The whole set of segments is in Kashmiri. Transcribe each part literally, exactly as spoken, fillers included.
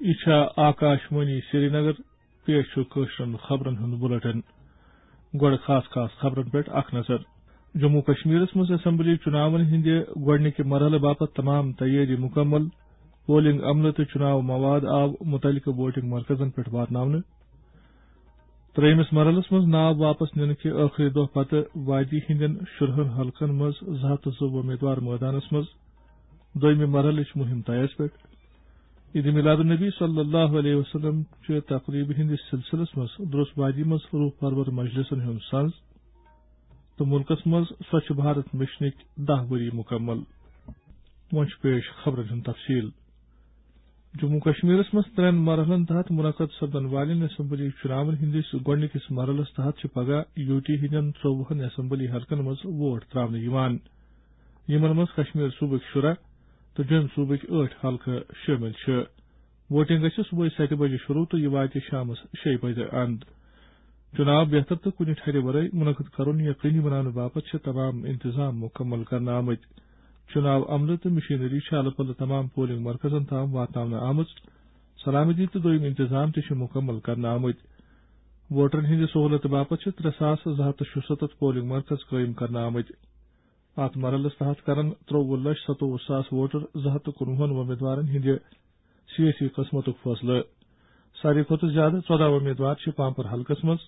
یہِ چھا آکاش وانی سرینگر، پیش چھُ کٲشرٮ۪ن خبرن ہُنٛد بُلٹن۔ گۄڈٕ خاص خاص خبرن پٮ۪ٹھ اکھ نظر۔ جموں کشمیرس منٛز اسمبلی چُناون ہٕنٛدِ گۄڈٕنِکہِ مرحلہٕ باپتھ تمام تیٲری مُکمل۔ پولنگ عملہٕ تہٕ چُناو مواد آو مُتعلقہٕ ووٹنگ مرکزن پٮ۪ٹھ واتناونہٕ۔ ترٛیٚیمِس مرحلس منٛز ناو واپس نِنہٕ کہِ ٲخری دۄہ پتہٕ وادی ہٕنٛدٮ۪ن شُرہن حلقن منٛز زٕ ہتھ تہٕ زٕ وۄمیدوار مٲدانس منٛز۔ دوٚیمہِ مرحلٕچ مُہِم طیَس پٮ۪ٹھ۔ عید میلاد النبی صلی اللہ علیہ وسلم چہِ تقریبہِ ہٕنٛدِس سلسلس منٛز درٛوس وادی منٛز روح پرور مجلسن ہُنٛد سنز تہٕ مُلکس منٛز سوچھ بھارت مشنٕکۍ دَہ ؤری مُکمل۔ وۄنۍ چھُ پیش خبرن ہُنٛد تفصیل۔ جموں کشمیرس منٛز ترٛٮ۪ن مرحلن تحت منعقد سپدن والٮ۪ن اسمبلی چُناون ہٕنٛدِس گۄڈٕنِکِس مرحلس تحت چھِ پگاہ یوٗ ٹی ہٕنٛدٮ۪ن ژوٚوُہن اسمبلی حلقن منٛز ووٹ ترٛاونہٕ یِوان، یِمن منٛز کشمیر صوبٕکۍ شُراہ تہٕ جوٚمۍ صوبٕکۍ ٲٹھ حلقہٕ شٲمِل چھِ۔ ووٹنگ گژھِ صبحٲے ستہِ بجہِ شروع تہٕ یہِ واتہِ شامس شیٚیہِ بجہِ اند۔ چُناو بہتر تہٕ کُنہِ ٹھرِ ورٲے منعقد کرُن یقینی بناونہٕ باپتھ چھِ تمام انتظام مُکمل کرنہٕ آمٕتۍ۔ چُناو عملہٕ تہٕ مشینری چھِ الہٕ پلہٕ تمام پولنگ مرکزن تام واتناونہٕ آمٕژ۔ سلامتی تہٕ دوٚیِم انتظام تہِ چھِ مُکمل کرنہٕ آمٕتۍ۔ ووٹرن ہٕنٛدِ سہوٗلتہٕ باپتھ چھِ ترٛےٚ ساس زٕ ہتھ تہٕ شُستتھ پولنگ مرکز قٲیِم کرنہٕ آمٕتۍ۔ اتھ مرحلس تحت کرن ترٛوٚوُہ لچھ ستووُہ ساس ووٹر زٕ ہتھ تہٕ کُنوُہن وۄمیدوارن ہٕنٛدِ سیٲسی قٕسمتُک فٲصلہٕ۔ ساروی کھۄتہٕ زیادٕ ژۄداہ وۄمیدوار چھِ پامپر حلقس منٛز،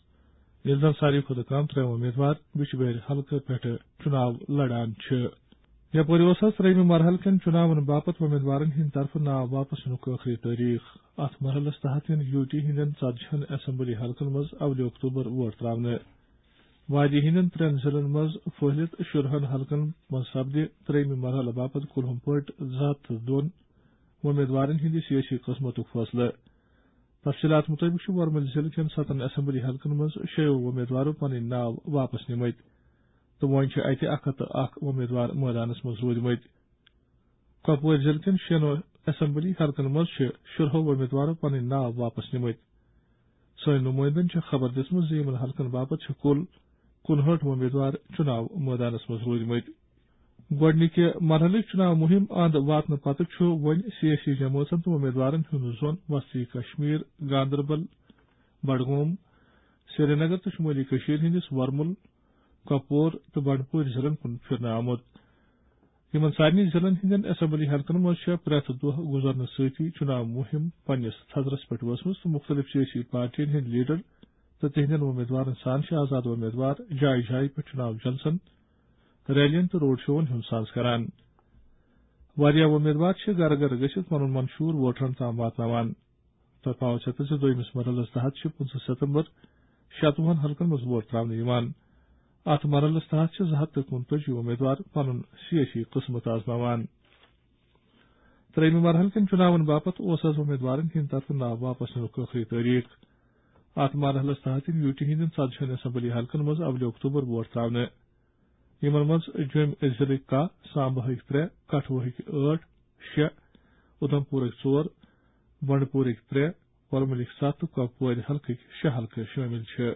ییٚلہِ زن ساروی کھۄتہٕ کم ترٛےٚ وۄمیدوار بِجبہارِ حلقہٕ پٮ۪ٹھٕ چُناو لڑان چھِ۔ یپٲرۍ اوس از ترٛیٚیمہِ مرحلہٕ کٮ۪ن چُناون باپتھ وۄمیدوارن ہٕنٛدِ طرفہٕ ناو واپس نِنُک ٲخری تٲریخ۔ اتھ مرحلس تحت یِن یوٗ ٹی ہٕنٛدٮ۪ن ژتجہن اسمبلی حلقن منٛز اولہِ اکتوبر ووٹ ترٛاونہٕ۔ وادی ہٕنٛدٮ۪ن ترٛٮ۪ن ضلعن منٛز پھٔہلِتھ شُرہن حلقن منٛز سپدِ ترٛیٚیمہِ مرحلہٕ باپتھ کُلہُم پٲٹھۍ زٕ ہتھ تہٕ دۄن وۄمیدوارن ہٕنٛدِ سیٲسی قٕسمتُک فٲصلہٕ۔ تفصیلات مُطٲبِق چھُ ورمُلۍ ضلعہٕ کٮ۪ن ستن اسمبلی حلقن منٛز شیٚیو وۄمیدوارو پنٕنۍ ناو واپس نِمٕتۍ تہٕ وۄنۍ چھِ اتہِ اکھ ہتھ تہٕ اکھ وۄمیدوار مٲدانس منٛز روٗدمٕتۍ۔ کۄپوٲرۍ ضلعہٕ کٮ۪ن شیٚن اسمبلی حلقن منٛز چھِ شُرہو وۄمیدوارو پنٕنۍ ناو واپس نِمٕتۍ۔ سٲنۍ نُمٲیندن چھےٚ خبر دِژمٕژ زِ یِمن حلقن باپتھ چھِ کُل کُنہٲٹھ وۄمیدوار چُناو مٲدانس منٛز روٗدمٕتۍ۔ گۄڈٕنِکہِ مرحلٕچ چُناو مُہِم اند واتنہٕ پتہٕ چھُ وۄنۍ سیٲسی جمٲژن تہٕ وۄمیدوارن ہُنٛد زون وسطی کشمیر، گاندربل، بڈگوم، سرینگر تہٕ شُمٲلی کٔشیٖر ہٕنٛدِس ورمُل، کۄپور تہٕ بنڈپوٗرۍ ضلعن کُن پھِرنہٕ آمُت۔ یِمن سارنٕے ضلعن ہٕنٛدٮ۪ن اسمبلی حلقن منٛز چھےٚ پرٛٮ۪تھ دۄہ گُزرنہٕ سۭتی چُناو مُہِم پننِس تھزرس پٮ۪ٹھ وٲژمٕژ تہٕ مُختٔلِف سیٲسی پارٹین ہٕنٛدۍ لیڈر تہٕ تِہنٛدٮ۪ن وۄمیدوارن سان چھِ آزاد وۄمیدوار جایہِ جایہِ پٮ۪ٹھ چُناو جلسن، ریلین تہٕ روڈ شوون ہُنٛد ساز کران۔ واریاہ وۄمیدوار چھِ گرٕ گرٕ گٔژھِتھ پنُن منشور ووٹرن تام واتناوان۔ تۄہہِ پاوو ژےٚ تہٕ زِ دوٚیمِس مرحلس تحت چھِ پٕنٛژٕہ ستمبر شتوُہن حلقن منٛز ووٹ ترٛاونہٕ یِوان۔ اتھ مرحلس تحت چھِ زٕ ہتھ تہٕ کُنتٲجی وۄمیدوار پنُن سیٲسی قٕسمت آزماوان۔ ترٛیٚیمہِ مرحلہٕ کٮ۪ن چُناون باپتھ اوس از وۄمیدوارن ہٕنٛدِ طرفہٕ ناو واپس نِنُک ٲخری تٲریخ۔ اتھ مرحلس تحت یِن یوٗ ٹی ہٕنٛدٮ۪ن ژتجہن اسمبلی حلقن منٛز اولہِ اکتوبر ووٹ ترٛاونہٕ۔ یِمن منٛز جوٚمۍ ضلعٕکۍ کاہ، سامباہٕکۍ ترٛےٚ، کٹھوہٕکۍ ٲٹھ، شےٚ، اُدھمپوٗرٕکۍ ژور، بنڈپوٗرٕکۍ ترٛےٚ، ورمُلٕکۍ ستھ تہٕ کۄپوورِ حلقٕکۍ شےٚ حلقہٕ شٲمِل چھِ۔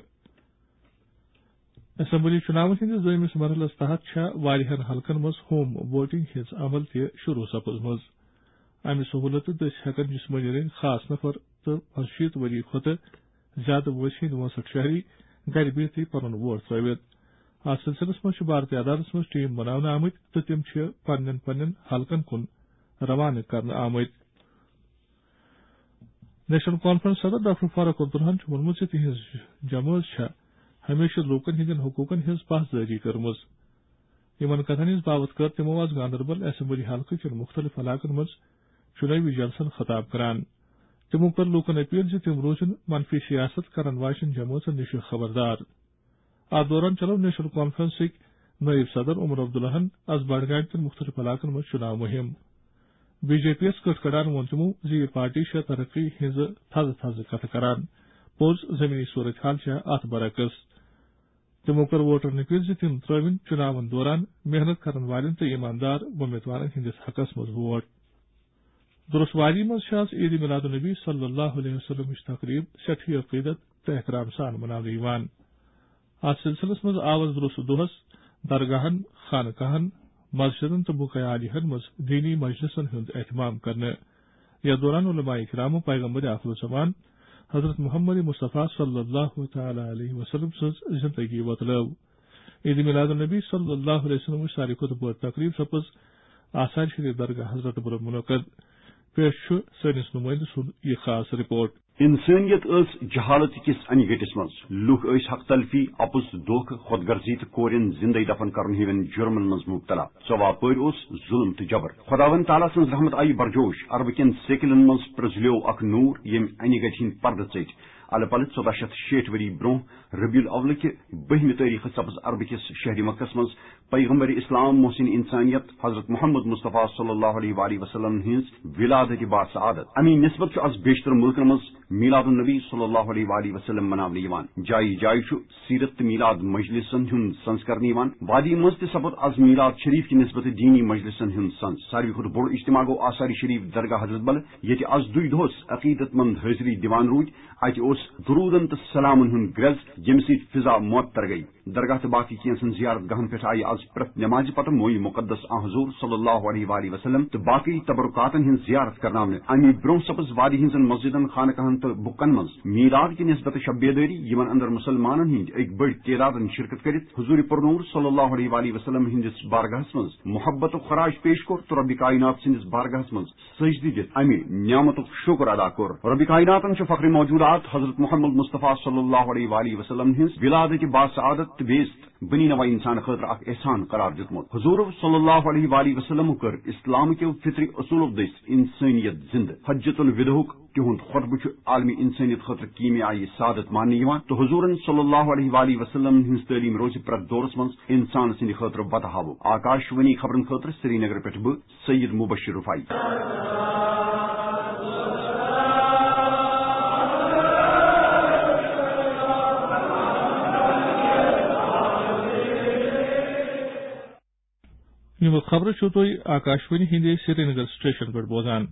اسمبلی چُناون ہٕنٛدِس دوٚیمِس مرحلس تحت چھےٚ واریاہن حلقن منٛز ہوم ووٹنگ ہٕنٛز عمل تہِ شروع سپٕزمٕژ۔ امہِ سہوٗلتہٕ دٔسۍ ہٮ۪کن جسمٲنی رٔنگۍ خاص نفر تہٕ پنٛژشیٖتھ ؤری کھۄتہٕ زیادٕ وٲنٛسہِ ہٕنٛدۍ وٲنٛسٹھ شہری گرِ بِہتھٕے پنُن ووٹ ترٲوِتھ۔ اتھ سلسلس منٛز چھِ بھارتی عدالتس منٛز ٹیم بناونہٕ آمٕتۍ تہٕ تِم چھِ پننٮ۪ن پننٮ۪ن حلقن کُن روانہٕ کرنہٕ آمٕتۍ۔ نیشنل کانفرنس صدر ڈاکٹر فاروق عبداللہن چھُ ووٚنمُت زِ تِہنٛز جمٲژ چھےٚ ہمیشہٕ لوٗکن ہٕنٛدٮ۪ن حقوٗقن ہٕنٛز پاسدٲری کٔرمٕژ۔ یِمن کتھن ہٕنٛز باوتھ کٔر تِمو از گاندربل اسمبلی حلقہٕ کٮ۪ن مُختٔلِف علاقن منٛز چُنٲوی جلسن خطاب کران۔ تِمو کٔر لوٗکن اپیل زِ تِم روزن منفی سیاست کرن واجٮ۪ن جمٲژن نِش خبردار۔ اتھ دوران چلٲو نیشنل کانفرنسٕکۍ نٲیِب صدر عمر عبداللہن از بڈگامہِ کٮ۪ن مُختٔلِف علاقن منٛز چُناو مُہِم۔ بی جے پی یَس کٔٹھ کڑان ووٚن تِمو زِ یہِ پارٹی چھےٚ ترقی ہٕنٛزٕ تھزٕ تھزٕ کتھٕ کران۔ پوٚز زمینی صورتحال چھےٚ اتھ برعکس۔ تِمو کٔر ووٹرن اپیل زِ تِم ترٲوِن چُناون دوران محنت کرن والٮ۪ن تہٕ ایماندار وۄمیدوارن ہٕنٛدِس حقس منٛز ووٹ۔ درست وادی منٛز چھِ آز عید میلاد النبی صلی اللہ علیہ وسلمٕچ تقریب سٮ۪ٹھٕے عقیدت تہٕ احترام سان مناونہٕ یِوان۔ اتھ سلسلس منٛز آو از درست دۄہس درگاہن، خانقاہن، مسجدن تہٕ بقاع عالیہن منٛز دینی مجلسن ہُنٛد اہتمام کرنہٕ۔ یتھ دوران علماء کرامو پیغمبر آخر الزمان حضرت محمد مصطفیٰ صلی اللہ تعالیٰ علیہ وسلم سٕنٛز زندگی وۄتلٲو۔ عید میلاد النبی صلی اللہ علیہ وسلم وٕچھ ساروی کھۄتہٕ بٔڑ تقریب سپٕز آثار شریف درگاہ حضرت بلن منعقد۔ پیش چھُ سٲنِس نُمٲیندٕ سُنٛد یہِ خاص رپورٹ۔ انسانیت ٲس جہالت کِس انہِ گٔٹِس منٛز۔ لوٗکھ ٲسۍ حق تلفی، اپُز، دھوکہٕ، خود غرضی تہٕ کورٮ۪ن زندے دفن کرن ہِوٮ۪ن جرمن منٛز مبتلا۔ ژۄوُہ پٲرۍ اوس ظلم تہٕ جبر۔ خداوند تعالیٰ سٕنٛز رحمت آیہِ برجوش۔ عربہٕ کٮ۪ن سیکلن منٛز پرٛزلیوو اکھ نوٗر، ییٚمۍ انہِ گٹہِ ہٕنٛدۍ پردٕ ژٔٹۍ۔ الہٕ پلہٕ ژۄداہ شیٚتھ شیٹھ ؤری برونٛہہ ربیع الاول کہِ بٔہمہِ تٲریخہٕ سپٕز عربہٕ کِس شہرِ مکس منٛز پیغمبر اسلام، محسن انسانیت حضرت محمد مصطفیٰ صلی اللہ علیہ وآلہ وسلم ہٕنٛز ولادت باسعادت۔ امی نسبت چھُ از بیشتر ملکن منٛز میلاد النبی صلی اللہ علیہ وآلہ وسلم مناونہٕ یِوان۔ جایہِ جایہِ چھُ سیرت تہٕ میلاد مجلسن ہُنٛد سنز کرنہٕ یِوان۔ وادی منٛز تہِ سپُد از میلاد شریف کہِ نسبت دینی مجلسن ہُنٛد سنز۔ ساروی کھۄتہٕ بوٚڑ اجتماع گوٚو آثار شریف درگاہ حضرت بل، ییٚتہِ از دُے دۄہس عقیدت مند حٲضری دِوان روٗدۍ۔ اتہِ اوس درودن تہٕ سلامن ہُنٛد گرٛز، ییٚمہِ سۭتۍ فضا معطر گٔیہِ۔ درگاہ تہٕ باقٕے کینٛژن زیارت گاہن پٮ۪ٹھ آیہِ از پرٛٮ۪تھ نمازِ پتہٕ مویہِ مقدس آن حضور صلی اللہ علیہ وآلہ وسلم تہٕ باقٕے تبرکاتن ہٕنٛز زیارت کرناونہٕ۔ اَمہِ برٛونٛہہ سپٕز وادی ہٕنٛزن مسجدن، خانقاہن تہٕ بُکن منٛز میلاد کہِ نسبتہٕ شب بیدٲری، یِمن اندر مسلمانن ہٕنٛدۍ أکۍ بٔڑۍ تعدادن شرکت کٔرِتھ حضور پرنور صلی اللہ علیہ وآلہ وسلم ہٕنٛدِس بارگاہس منٛز محبت و خراج پیش کوٚر تہٕ رب کائنات سٕنٛدِس بارگاہس منٛز سجدٕ دِتھ امہِ نعمتُک شکر ادا کوٚر۔ رب کائناتن چھُ فخر موجودات حضرت محمد مصطفیٰ صلی اللہ علیہ وآلہ وسلم ہٕنٛز ولادت باسعادت تہٕ بیزت بنی نوع انسان خٲطرٕ اکھ احسان قرار دیُتمُت۔ حضور صلی اللہ علیہ وآلہ وسلم کٔر اسلام کیو فطری اصولو دٔسۍ انسانیت زندٕ۔ حجۃ الوداعُک تِہُنٛد خطبہٕ چھُ عالمی انسانیت خٲطرٕ کیمیائی سعادت ماننہٕ یِوان تہٕ حضورن صلی اللہ علیہ وآلہ وسلم ہٕنٛز تعلیٖم روزِ پرٛٮ۪تھ دورس منٛز انسان سٕنٛدِ خٲطرٕ وتہٕ ہاوُن۔ آکاش وانی خبرن خٲطرٕ سرینگر پٮ۪ٹھ بہٕ، سید مبشر رفاعی۔ یِم خبرٕ چھِو تُہۍ آکاشوانی ہِنٛدِ سرینگر سٹیشن پٮ۪ٹھ بوزان۔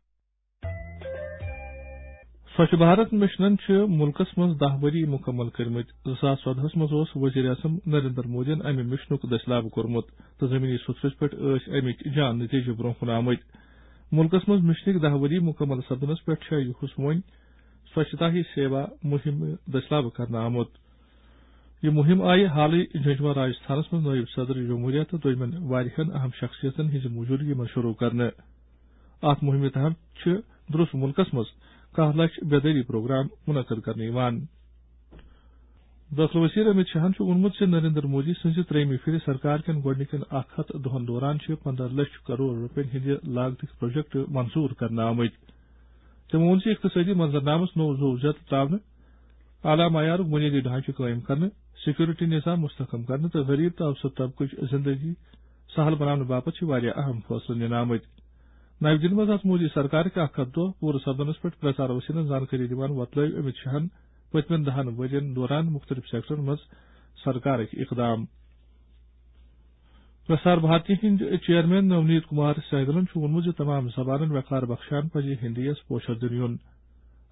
سوچھ بھارت مشنن چھِ مُلکس منٛز دَہ ؤری مُکمل کٔرمٕتۍ۔ زٕ ساس ژۄدہَس منٛز اوس وزیر اعظم نریندر مودیَن امہِ مشنُک دٔسۍ لاگو کوٚرمُت تہٕ زمینی سطحس پٮ۪ٹھ ٲسۍ امِکۍ جان نتیجہٕ برونٛہہ کُن آمٕتۍ۔ مُلکس منٛز مشنٕکۍ دَہ ؤری مُکمل سپدنس پٮ۪ٹھ چھےٚ یُہُس وۄنۍ سوچھتا ہی سیوا مُہِم دٔسۍ لاگو کرنہٕ آمُت۔ یہِ مُہِم آیہِ حالٕے جھنجھوڑا راجستھانس منٛز نٲیِب صدر جمہوریہ تہٕ دوٚیمٮ۪ن واریاہن اہم شخصیتن ہٕنٛزِ موجودگی منٛز شروع کرنہٕ۔ اتھ مُہِمہِ تحت چھِ درست مُلکس منٛز کاہ لچھ بیدٲری پروگرام منعقد کرنہٕ یِوان۔ دٲخلہٕ وزیر امت شاہن چھُ ووٚنمُت زِ نریندر مودی سٕنٛزِ ترٛیٚیمہِ پھِرِ سرکار کٮ۪ن گۄڈٕنِکٮ۪ن اکھ ہتھ دۄہن دوران چھِ پندہ لچھ کرور رۄپین ہٕنٛدِ لاگتٕکۍ پروجیکٹ منظور کرنہٕ آمٕتۍ۔ تٔمۍ ووٚن زِ اقتصٲدی منظرنامس نوٚو زوٚو زیادٕ تراونہٕ، اعلیٰ معیارُک بنیٲدی ڈھانچہٕ قٲیِم کرنہٕ، سیکورٹی نظام مستحکم کرنہٕ تہٕ غریب تہٕ اوسط طبقٕچ زندگی سہل بناونہٕ باپتھ چھِ واریاہ اہم فٲصلہٕ نِنہٕ آمٕتۍ۔ نَوِ دِلہِ منٛز آز مودی سرکارٕکۍ اکھ ہتھ دۄہ پوٗرٕ سپدنس پٮ۪ٹھ پرچار وسیلن زانکٲری دِوان وۄتلٲوۍ امت شاہن پٔتمٮ۪ن دَہَن ؤرین دوران مُختٔلِف سیکٹرن منٛز سرکارٕکۍ اقدام۔ پرسار بھارتی ہٕنٛدۍ چیئرمین نونیت کمار سہگلن چھُ ووٚنمُت زِ تمام زبانن وقار بخشان پزِ ہندی یس پوچھر دِنہٕ یُن۔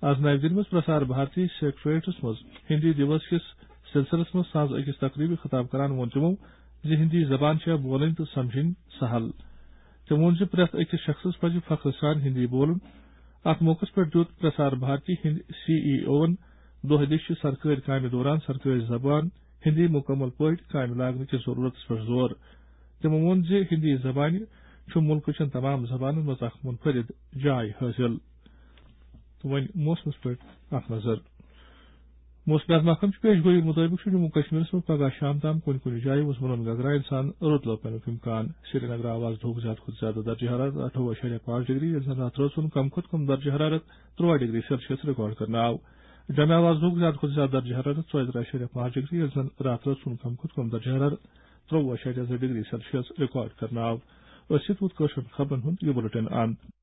از نَوِ دِلہِ منٛز پرسار بھارتی سیکریٹریٹس منٛز ہندی دیوس کِس سلسلس منٛز ساز أکِس تقریبہِ خطاب کران ووٚن تِمو زِ ہندی زبان چھےٚ بولٕنۍ تہٕ سمجھٕنۍ سہل۔ تٔمۍ ووٚن زِ پرٛٮ۪تھ أکِس شخصس پزِ فخر سان ہندی بولُن۔ اتھ موقعس پٮ۪ٹھ دیُت پرسار بھارتی ہٕنٛدۍ سی ای اوون دۄہ دِش چھِ سرکٲرۍ کامہِ دوران سرکٲرۍ زبان ہندی مکمل پٲٹھۍ کامہِ لاگنہٕ کِس ضروٗرتس پٮ۪ٹھ زور۔ تِمو ووٚن زِ ہندی زبانہِ چھُ مُلکہٕ چٮ۪ن تمام زبانن منٛز اکھ منفرد جاے حٲصِل۔ تہٕ وۄنۍ موسمس پٮ۪ٹھ اکھ نظر۔ موسمیات محکمہٕ چہِ پیش گویی مُطٲبِق چھُ جموں کشمیرس منٛز پگہہ شام تام کُنہِ کُنہِ جایہِ وُزمُلن گگراین سان رُت لوپنُک امکان۔ سرینگر آو آز دُہُک زیادٕ کھۄتہٕ زیادٕ درجہ حرارت اَٹھووُہ اَشاریہ پانٛژھ ڈگری، ییٚلہِ زن راتہٕ رٲژ ہُنٛد کم کھۄتہٕ کم درجہ حرارت تُرٛواہ ڈگری سیلسیس ریکارڈ کرنہٕ آو۔ جمعہ آو آز دُہُک زیادٕ کھۄتہٕ زیادٕ درجہ حرارت ژۄیہِ ترٕٛہ اَشاریہ پانٛژھ ڈگری، ییٚلہِ زن راتہٕ رٲژ ہُنٛد کم کھۄتہٕ کم درجہ حرارت ترٛوٚوُہ اَشاریہ زٕ ڈگری سیلسیس ریکارڈ کرنہٕ آو۔ أتھۍ سۭتۍ ووت کٲشرٮ۪ن خبرن ہُنٛد یہِ بُلٹن اند۔